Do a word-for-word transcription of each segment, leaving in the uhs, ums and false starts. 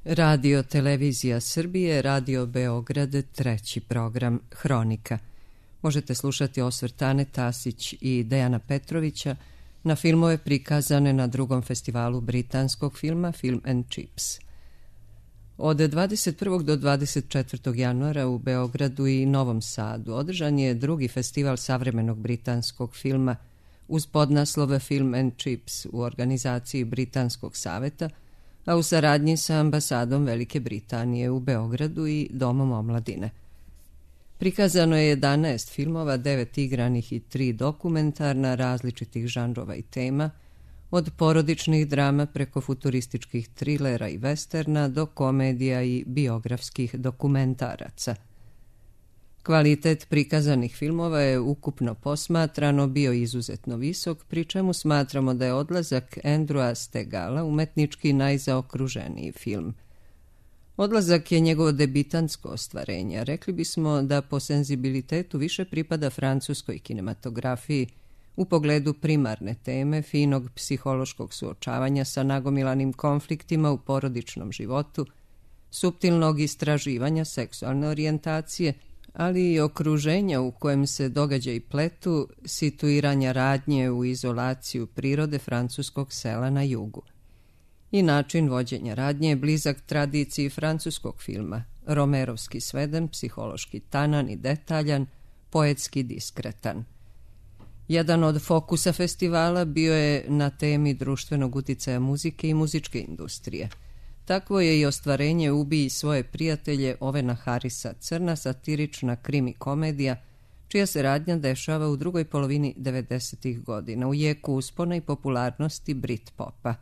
Radio Televizija Srbije, Radio Beograd, treći program Hronika. Možete slušati osvrt Ane Tasić i Dejana Petrovića na filmove prikazane na drugom festivalu britanskog filma Film and Chips. Od dvadeset prvog do dvadeset četvrtog januara u Beogradu i Novom Sadu održan je drugi festival savremenog britanskog filma uz podnaslove Film and Chips u organizaciji Britanskog saveta, a u saradnji sa ambasadom Velike Britanije u Beogradu i Domom omladine. Prikazano je jedanaest filmova, devet igranih i tri dokumentarna različitih žanrova i tema, od porodičnih drama preko futurističkih trilera i westerna do komedija i biografskih dokumentaraca. Kvalitet prikazanih filmova je ukupno posmatrano bio izuzetno visok, pri čemu smatramo da je Odlazak Andrewa Stegala umetnički najzaokruženiji film. Odlazak je njegovo debitantsko ostvarenje. Rekli bismo da po senzibilitetu više pripada francuskoj kinematografiji u pogledu primarne teme, finog psihološkog suočavanja sa nagomilanim konfliktima u porodičnom životu, suptilnog istraživanja seksualne orijentacije, ali i okruženja u kojem se događaji pletu, situiranja radnje u izolaciju prirode francuskog sela na jugu. I način vođenja radnje je blizak tradiciji francuskog filma, romerovski sveden, psihološki tanan i detaljan, poetski diskretan. Jedan od fokusa festivala bio je na temi društvenog uticaja muzike i muzičke industrije. Takvo je i ostvarenje Ubij svoje prijatelje Ovena Harrisa, crna satirična krimi komedija, čija se radnja dešava u drugoj polovini devedesetih godina, u jeku uspona i popularnosti Britpopa.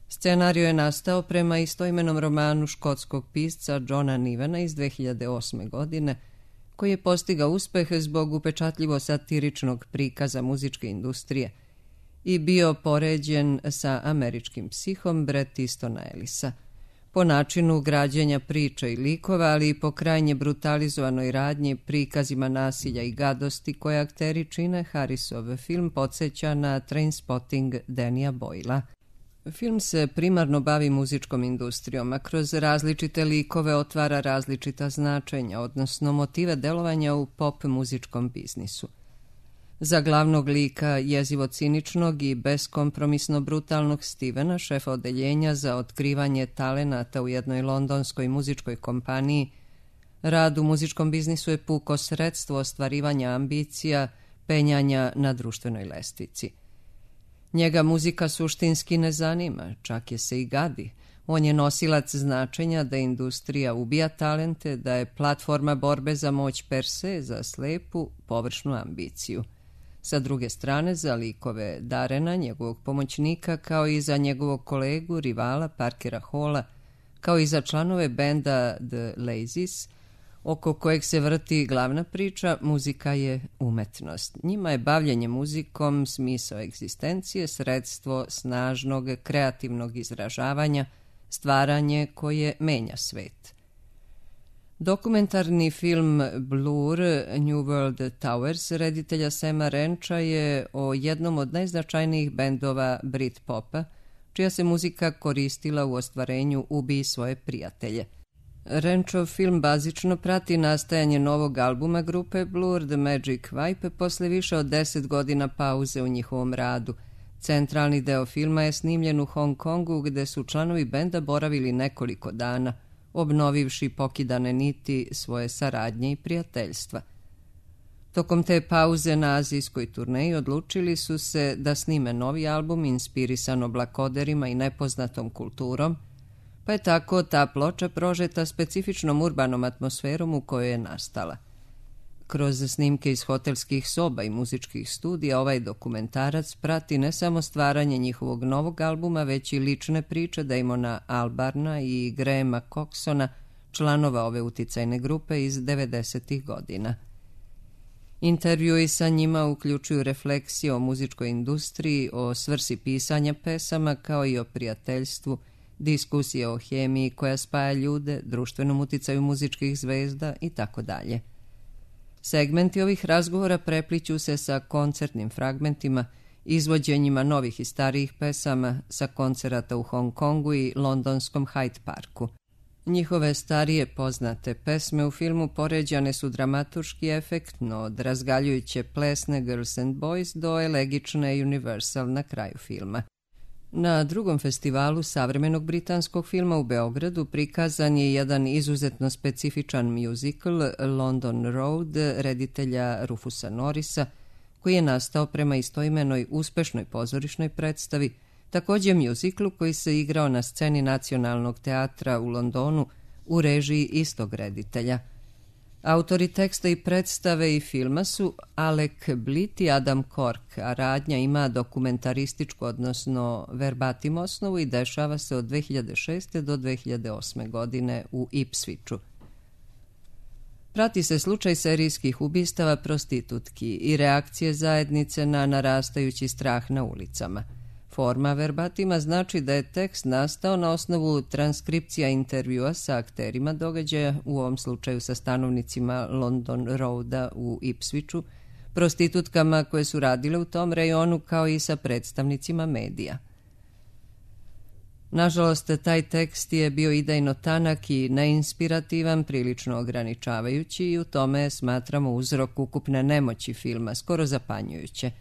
Scenario je nastao prema istoimenom romanu škotskog pisca Johna Nivena iz dve hiljade osme. godine, koji je postigao uspeh zbog upečatljivo satiričnog prikaza muzičke industrije i bio poređen sa američkim psihom Bret Eastona Ellisa. Po načinu građenja priča i likova, ali i po krajnje brutalizovanoj radnji, prikazima nasilja i gadosti koje akteri čine, Harrisov film podsjeća na Trainspotting Danija Boylea. Film se primarno bavi muzičkom industrijom, a kroz različite likove otvara različita značenja, odnosno motive delovanja u pop muzičkom biznisu. Za glavnog lika jezivo ciničnog i beskompromisno brutalnog Stevena, šefa odeljenja za otkrivanje talenata u jednoj londonskoj muzičkoj kompaniji, rad u muzičkom biznisu je puko sredstvo ostvarivanja ambicija, penjanja na društvenoj lestvici. Njega muzika suštinski ne zanima, čak je se i gadi. On je nosilac značenja da industrija ubija talente, da je platforma borbe za moć per se, za slepu, površnu ambiciju. Sa druge strane, za likove Darena, njegovog pomoćnika, kao i za njegovog kolegu, rivala Parkera Halla, kao i za članove benda The Lazies, oko kojeg se vrti glavna priča, muzika je umetnost. Njima je bavljenje muzikom smisao egzistencije, sredstvo snažnog kreativnog izražavanja, stvaranje koje menja svet. Dokumentarni film Blur, New World Towers, reditelja Sama Rancha, je o jednom od najznačajnijih bendova Britpopa, čija se muzika koristila u ostvarenju Ubij svoje prijatelje. Ranchov film bazično prati nastajanje novog albuma grupe Blur, The Magic Vibe, posle više od deset godina pauze u njihovom radu. Centralni deo filma je snimljen u Hong Kongu, gde su članovi benda boravili nekoliko dana, obnovivši pokidane niti svoje saradnje i prijateljstva. Tokom te pauze na azijskoj turneji odlučili su se da snime novi album inspirisan oblakoderima i nepoznatom kulturom, pa je tako ta ploča prožeta specifičnom urbanom atmosferom u kojoj je nastala. Kroz snimke iz hotelskih soba i muzičkih studija ovaj dokumentarac prati ne samo stvaranje njihovog novog albuma, već i lične priče Damona Albarna i Grahama Coxona, članova ove uticajne grupe iz devedesetih godina. Intervjui sa njima uključuju refleksije o muzičkoj industriji, o svrsi pisanja pesama, kao i o prijateljstvu, diskusije o hemiji koja spaja ljude, društvenom uticaju muzičkih zvezda i tako dalje. Segmenti ovih razgovora prepliću se sa koncertnim fragmentima izvođenjima novih i starijih pesama sa koncerata u Hong Kongu i londonskom Hyde Parku. Njihove starije poznate pesme u filmu poređane su dramaturški efektno, od razgaljujuće plesne Girls and Boys do elegične Universal na kraju filma. Na drugom festivalu savremenog britanskog filma u Beogradu prikazan je jedan izuzetno specifičan musical London Road reditelja Rufusa Norrisa, koji je nastao prema istoimenoj uspešnoj pozorišnoj predstavi, također mjuziklu koji se igrao na sceni Nacionalnog teatra u Londonu u režiji istog reditelja. Autori teksta i predstave i filma su Alec Blitt i Adam Cork, a radnja ima dokumentarističku, odnosno verbatim osnovu i dešava se od dve hiljade šeste. do dve hiljade osme. godine u Ipswichu. Prati se slučaj serijskih ubistava prostitutki i reakcije zajednice na narastajući strah na ulicama. Forma verbatima znači da je tekst nastao na osnovu transkripcija intervjua sa akterima događaja, u ovom slučaju sa stanovnicima London Roada u Ipswichu, prostitutkama koje su radile u tom rejonu, kao i sa predstavnicima medija. Nažalost, taj tekst je bio idejno tanak i neinspirativan, prilično ograničavajući i u tome smatramo uzrok ukupne nemoći filma, skoro zapanjujuće.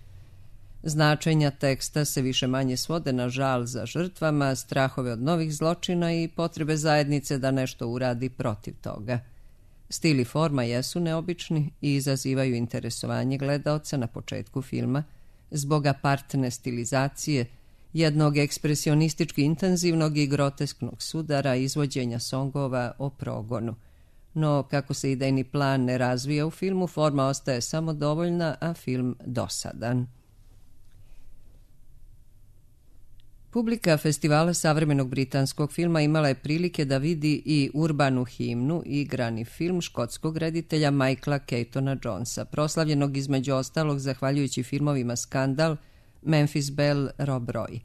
Značenja teksta se više manje svode na žal za žrtvama, strahove od novih zločina i potrebe zajednice da nešto uradi protiv toga. Stil i forma jesu neobični i izazivaju interesovanje gledaoca na početku filma zbog apartne stilizacije, jednog ekspresionistički intenzivnog i grotesknog sudara izvođenja songova o progonu. No, kako se idejni plan ne razvija u filmu, forma ostaje samo dovoljna, a film dosadan. Publika festivala savremenog britanskog filma imala je prilike da vidi i urbanu himnu i igrani film škotskog reditelja Michaela Keatona Jonesa, proslavljenog između ostalog zahvaljujući filmovima Skandal, Memphis Belle, Rob Roy.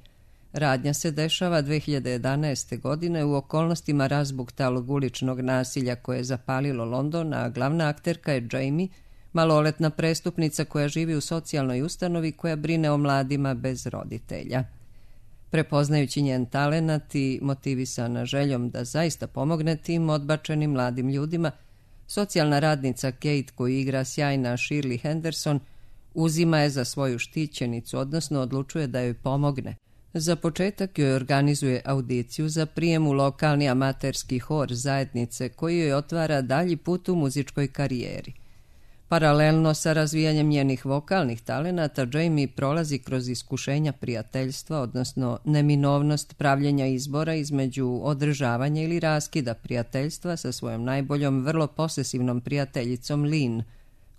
Radnja se dešava dve hiljade jedanaeste. godine u okolnostima razbuktalog uličnog nasilja koje je zapalilo London, a glavna akterka je Jamie, maloletna prestupnica koja živi u socijalnoj ustanovi koja brine o mladima bez roditelja. Prepoznajući njen talenat i motivisana željom da zaista pomogne tim odbačenim mladim ljudima, socijalna radnica Kate, koju igra sjajna Shirley Henderson, uzima je za svoju štićenicu, odnosno odlučuje da joj pomogne. Za početak joj organizuje audiciju za prijem u lokalni amaterski hor zajednice koji joj otvara dalji put u muzičkoj karijeri. Paralelno sa razvijanjem njenih vokalnih talenata, Jamie prolazi kroz iskušenja prijateljstva, odnosno neminovnost pravljenja izbora između održavanja ili raskida prijateljstva sa svojom najboljom, vrlo posesivnom prijateljicom Lynn,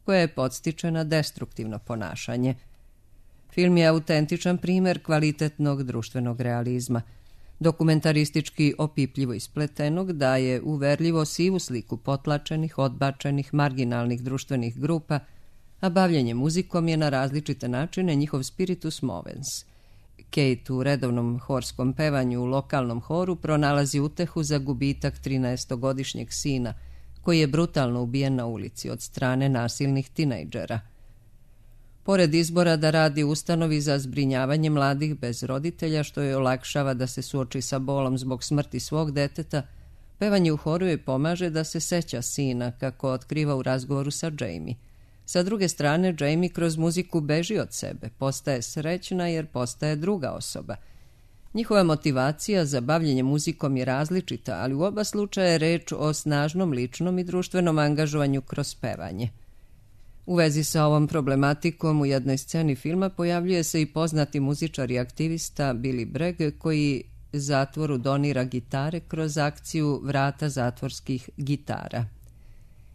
koja je podstiče na destruktivno ponašanje. Film je autentičan primjer kvalitetnog društvenog realizma. Dokumentaristički opipljivo ispletenog daje uverljivo sivu sliku potlačenih, odbačenih, marginalnih društvenih grupa, a bavljenje muzikom je na različite načine njihov spiritus movens. Kate u redovnom horskom pevanju u lokalnom horu pronalazi utehu za gubitak trinaestogodišnjeg sina, koji je brutalno ubijen na ulici od strane nasilnih tinejdžera. Pored izbora da radi u ustanovi za zbrinjavanje mladih bez roditelja, što joj olakšava da se suoči sa bolom zbog smrti svog deteta, pevanje u horu joj pomaže da se seća sina, kako otkriva u razgovoru sa Jamie. Sa druge strane, Jamie kroz muziku beži od sebe, postaje srećna jer postaje druga osoba. Njihova motivacija za bavljenje muzikom je različita, ali u oba slučaja je reč o snažnom ličnom i društvenom angažovanju kroz pevanje. U vezi sa ovom problematikom u jednoj sceni filma pojavljuje se i poznati muzičar i aktivista Billy Bragg, koji zatvoru donira gitare kroz akciju Vrata zatvorskih gitara.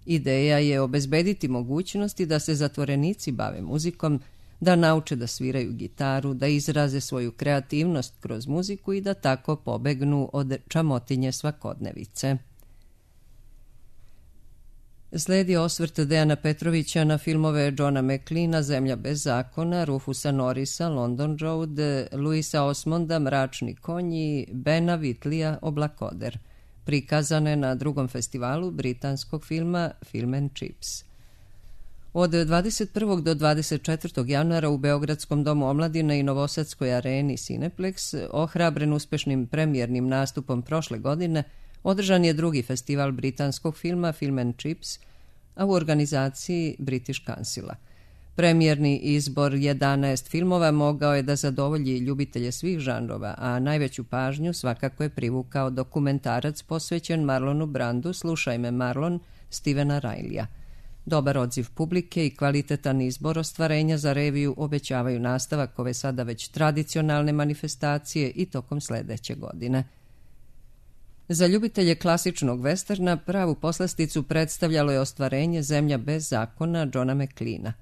Ideja je obezbediti mogućnosti da se zatvorenici bave muzikom, da nauče da sviraju gitaru, da izraze svoju kreativnost kroz muziku i da tako pobegnu od čamotinje svakodnevice. Sledi osvrt Dejana Petrovića na filmove Johna McLeana, Zemlja bez zakona, Rufusa Norrisa, London Road, Louisa Osmonda, Mračni konj i Bena Whitleya, Oblakoder, prikazane na drugom festivalu britanskog filma Film and Chips. Od dvadeset prvog do dvadeset četvrtog januara u Beogradskom domu omladine i Novosadskoj areni Cineplex, ohrabren uspešnim premijernim nastupom prošle godine, održan je drugi festival britanskog filma Film and Chips, a u organizaciji British Councila. Premijerni izbor jedanaest filmova mogao je da zadovolji ljubitelje svih žanrova, a najveću pažnju svakako je privukao dokumentarac posvećen Marlonu Brandu Slušaj me Marlon, Stevena Rileyja. Dobar odziv publike i kvalitetan izbor ostvarenja za reviju obećavaju nastavak ove sada već tradicionalne manifestacije i tokom sledeće godine. Za ljubitelje klasičnog westerna pravu poslasticu predstavljalo je ostvarenje Zemlja bez zakona Johna McLeana.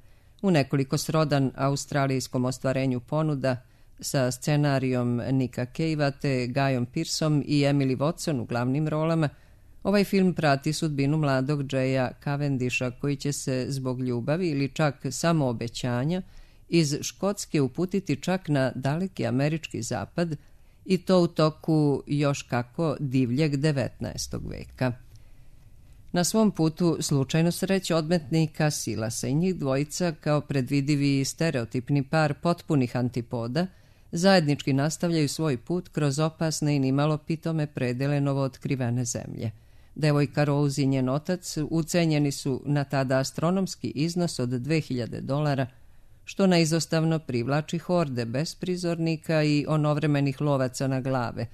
U nekoliko srodan australijskom ostvarenju ponuda sa scenarijom Nika Cavea te Guyom Pearceom i Emily Watson u glavnim rolama, ovaj film prati sudbinu mladog Jaya Cavendisha koji će se zbog ljubavi ili čak samo obećanja iz Škotske uputiti čak na daleki američki zapad i to u toku još kako divljeg devetnaestog veka. Na svom putu slučajno sreće odmetnika Silasa i njih dvojica kao predvidivi i stereotipni par potpunih antipoda zajednički nastavljaju svoj put kroz opasne i nimalo pitome predele novootkrivene zemlje. Devojka Rose i njen otac ucenjeni su na tada astronomski iznos od dve hiljade dolara, što neizostavno privlači horde besprizornika i onovremenih lovaca na glave,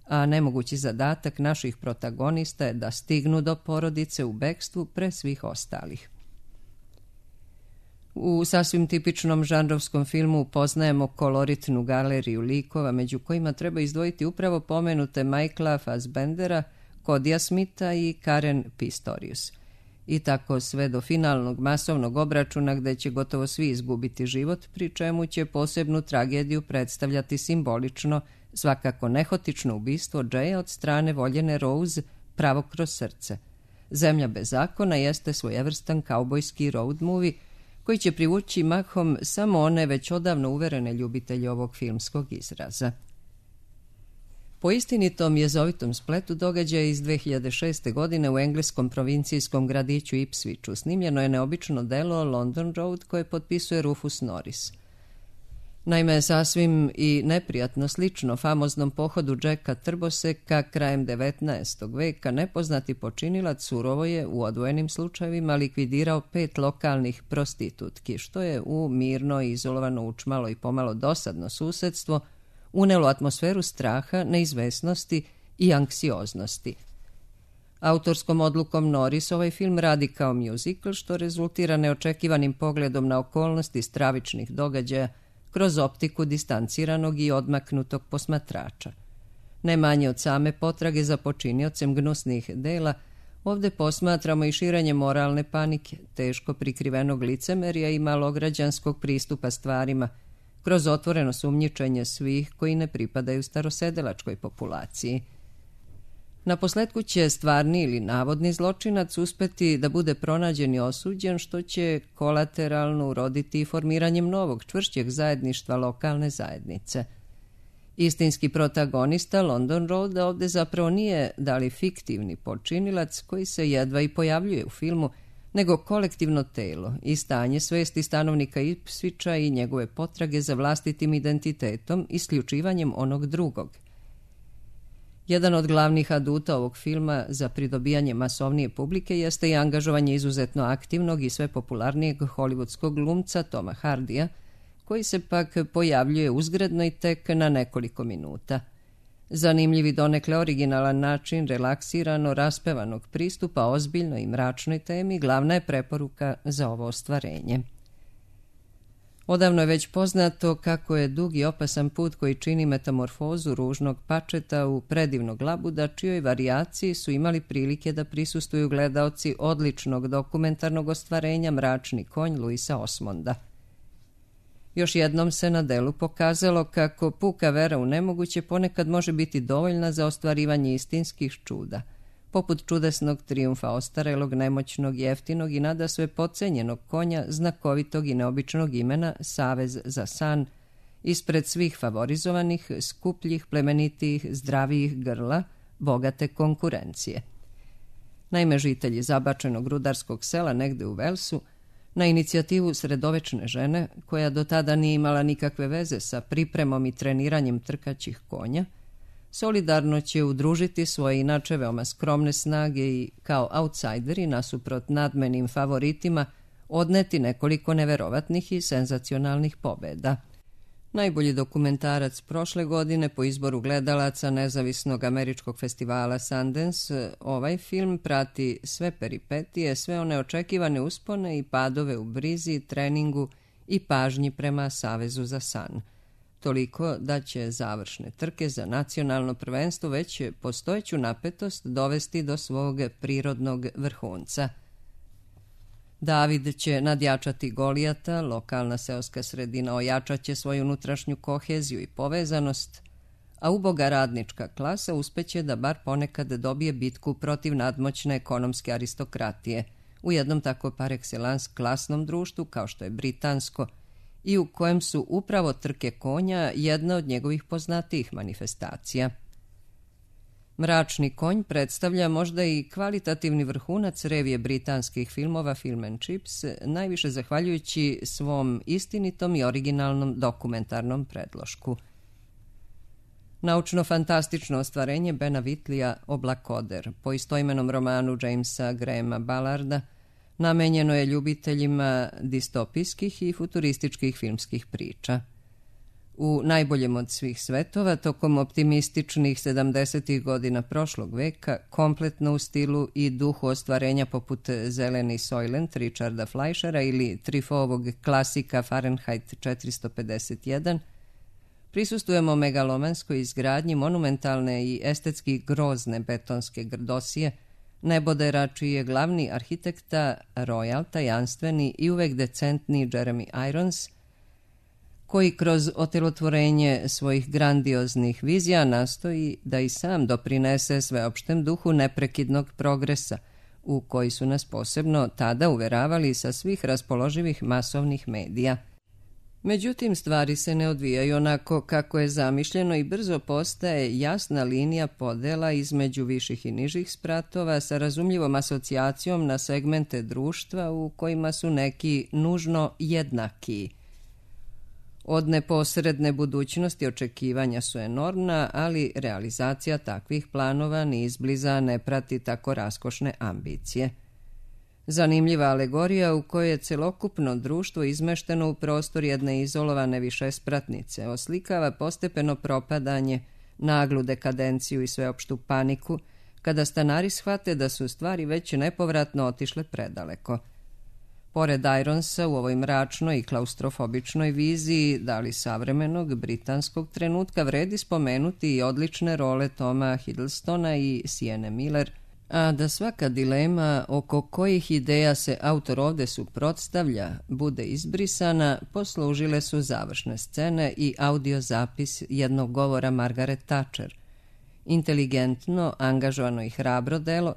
a nemogući zadatak naših protagonista je da stignu do porodice u bekstvu pre svih ostalih. U sasvim tipičnom žanrovskom filmu poznajemo koloritnu galeriju likova, među kojima treba izdvojiti upravo pomenute Michaela Fassbendera, Kodija Smitha i Karen Pistorius. I tako sve do finalnog masovnog obračuna gde će gotovo svi izgubiti život, pri čemu će posebnu tragediju predstavljati simbolično, svakako nehotično ubistvo Jaya od strane voljene Rose pravo kroz srce. Zemlja bez zakona jeste svojevrstan kaubojski road movie koji će privući mahom samo one već odavno uverene ljubitelje ovog filmskog izraza. Po istinitom jezovitom spletu događaja iz dve hiljade šeste. godine u engleskom provincijskom gradiću Ipswichu snimljeno je neobično delo London Road koje potpisuje Rufus Norris. Naime, sasvim i neprijatno slično famoznom pohodu Jacka Trboseka krajem devetnaestog veka nepoznati počinilac surovo je u odvojenim slučajevima likvidirao pet lokalnih prostitutki, što je u mirno i izolovano učmalo i pomalo dosadno susedstvo unelo atmosferu straha, neizvesnosti i anksioznosti. Autorskom odlukom Norris ovaj film radi kao muzikl, što rezultira neočekivanim pogledom na okolnosti stravičnih događaja kroz optiku distanciranog i odmaknutog posmatrača. Ne manje od same potrage za počiniocem gnusnih dela, ovde posmatramo i širenje moralne panike, teško prikrivenog licemerja i malograđanskog pristupa stvarima, kroz otvoreno sumnjičenje svih koji ne pripadaju starosedelačkoj populaciji. Naposletku će stvarni ili navodni zločinac uspeti da bude pronađen i osuđen, što će kolateralno uroditi formiranjem novog, čvršćeg zajedništva lokalne zajednice. Istinski protagonista London Roada ovde zapravo nije da li fiktivni počinilac koji se jedva i pojavljuje u filmu, nego kolektivno telo i stanje svesti stanovnika Ipswicha i njegove potrage za vlastitim identitetom, isključivanjem onog drugog. Jedan od glavnih aduta ovog filma za pridobijanje masovnije publike jeste i angažovanje izuzetno aktivnog i sve popularnijeg hollywoodskog glumca Toma Hardija, koji se pak pojavljuje uzgredno i tek na nekoliko minuta. Zanimljiv i donekle originalan način relaksirano raspevanog pristupa ozbiljnoj i mračnoj temi glavna je preporuka za ovo ostvarenje. Odavno je već poznato kako je dug i opasan put koji čini metamorfozu ružnog pačeta u predivnog labuda, čijoj varijaciji su imali prilike da prisustuju gledaoci odličnog dokumentarnog ostvarenja Mračni konj Luisa Osmonda. Još jednom se na delu pokazalo kako puka vera u nemoguće ponekad može biti dovoljna za ostvarivanje istinskih čuda, poput čudesnog trijumfa ostarelog, nemoćnog, jeftinog i nadasve podcenjenog konja znakovitog i neobičnog imena Savez za san, ispred svih favorizovanih, skupljih, plemenitijih, zdravijih grla, bogate konkurencije. Naime, žitelji zabačenog rudarskog sela negde u Velsu Na inicijativu sredovečne žene, koja do tada nije imala nikakve veze sa pripremom i treniranjem trkaćih konja, solidarno će udružiti svoje inače veoma skromne snage i kao autsajderi nasuprot nadmenim favoritima odneti nekoliko neverovatnih i senzacionalnih pobeda. Najbolji dokumentarac prošle godine po izboru gledalaca nezavisnog američkog festivala Sundance, ovaj film prati sve peripetije, sve one očekivane uspone i padove u brizi, treningu i pažnji prema Savezu za san. Toliko da će završne trke za nacionalno prvenstvo već postojeću napetost dovesti do svog prirodnog vrhunca. David će nadjačati Golijata, lokalna seoska sredina ojačat će svoju unutrašnju koheziju i povezanost, a uboga radnička klasa uspeće da bar ponekad dobije bitku protiv nadmoćne ekonomske aristokratije u jednom tako par excellence klasnom društvu kao što je britansko i u kojem su upravo trke konja jedna od njegovih poznatijih manifestacija. Mračni konj predstavlja možda i kvalitativni vrhunac revije britanskih filmova Film and Chips, najviše zahvaljujući svom istinitom i originalnom dokumentarnom predlošku. Naučno-fantastično ostvarenje Bena Whitleya Oblakoder, po istoimenom romanu Jamesa Grahama Ballarda, namenjeno je ljubiteljima distopijskih i futurističkih filmskih priča. U najboljem od svih svetova, tokom optimističnih sedamdesetih godina prošlog veka, kompletno u stilu i duhu ostvarenja poput Zeleni Soylent Richarda Fleischera ili Truffautovog klasika Fahrenheit četiristo pedeset jedan, prisustujemo megalomanskoj izgradnji monumentalne i estetski grozne betonske grdosije, nebodera čiji je glavni arhitekta Royal, tajanstveni i uvek decentni Jeremy Irons, koji kroz otelotvorenje svojih grandioznih vizija nastoji da i sam doprinese sveopštem duhu neprekidnog progresa, u koji su nas posebno tada uveravali sa svih raspoloživih masovnih medija. Međutim, stvari se ne odvijaju onako kako je zamišljeno i brzo postaje jasna linija podela između viših i nižih spratova sa razumljivom asocijacijom na segmente društva u kojima su neki nužno jednaki. Od neposredne budućnosti očekivanja su enormna, ali realizacija takvih planova ni izbliza ne prati tako raskošne ambicije. Zanimljiva alegorija u kojoj je celokupno društvo izmešteno u prostor jedne izolovane višespratnice oslikava postepeno propadanje, naglu dekadenciju i sveopštu paniku, kada stanari shvate da su stvari već nepovratno otišle predaleko. Pored Ironsa u ovoj mračnoj i klaustrofobičnoj viziji dali savremenog britanskog trenutka vredi spomenuti i odlične role Toma Hiddlestona i Sienna Miller, a da svaka dilema oko kojih ideja se autor ovde suprotstavlja bude izbrisana, poslužile su završne scene i audio zapis jednog govora Margaret Thatcher, inteligentno, angažovano i hrabro delo,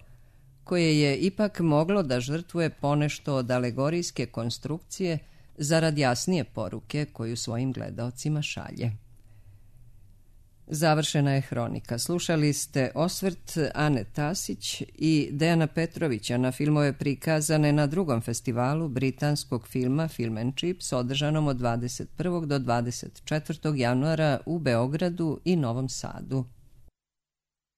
koje je ipak moglo da žrtvuje ponešto od alegorijske konstrukcije zarad jasnije poruke koju svojim gledaocima šalje. Završena je hronika. Slušali ste osvrt Ane Tasić i Dejana Petrovića na filmove prikazane na drugom festivalu britanskog filma Film and Chips, održanom od dvadeset prvog do dvadeset četvrtog januara u Beogradu i Novom Sadu.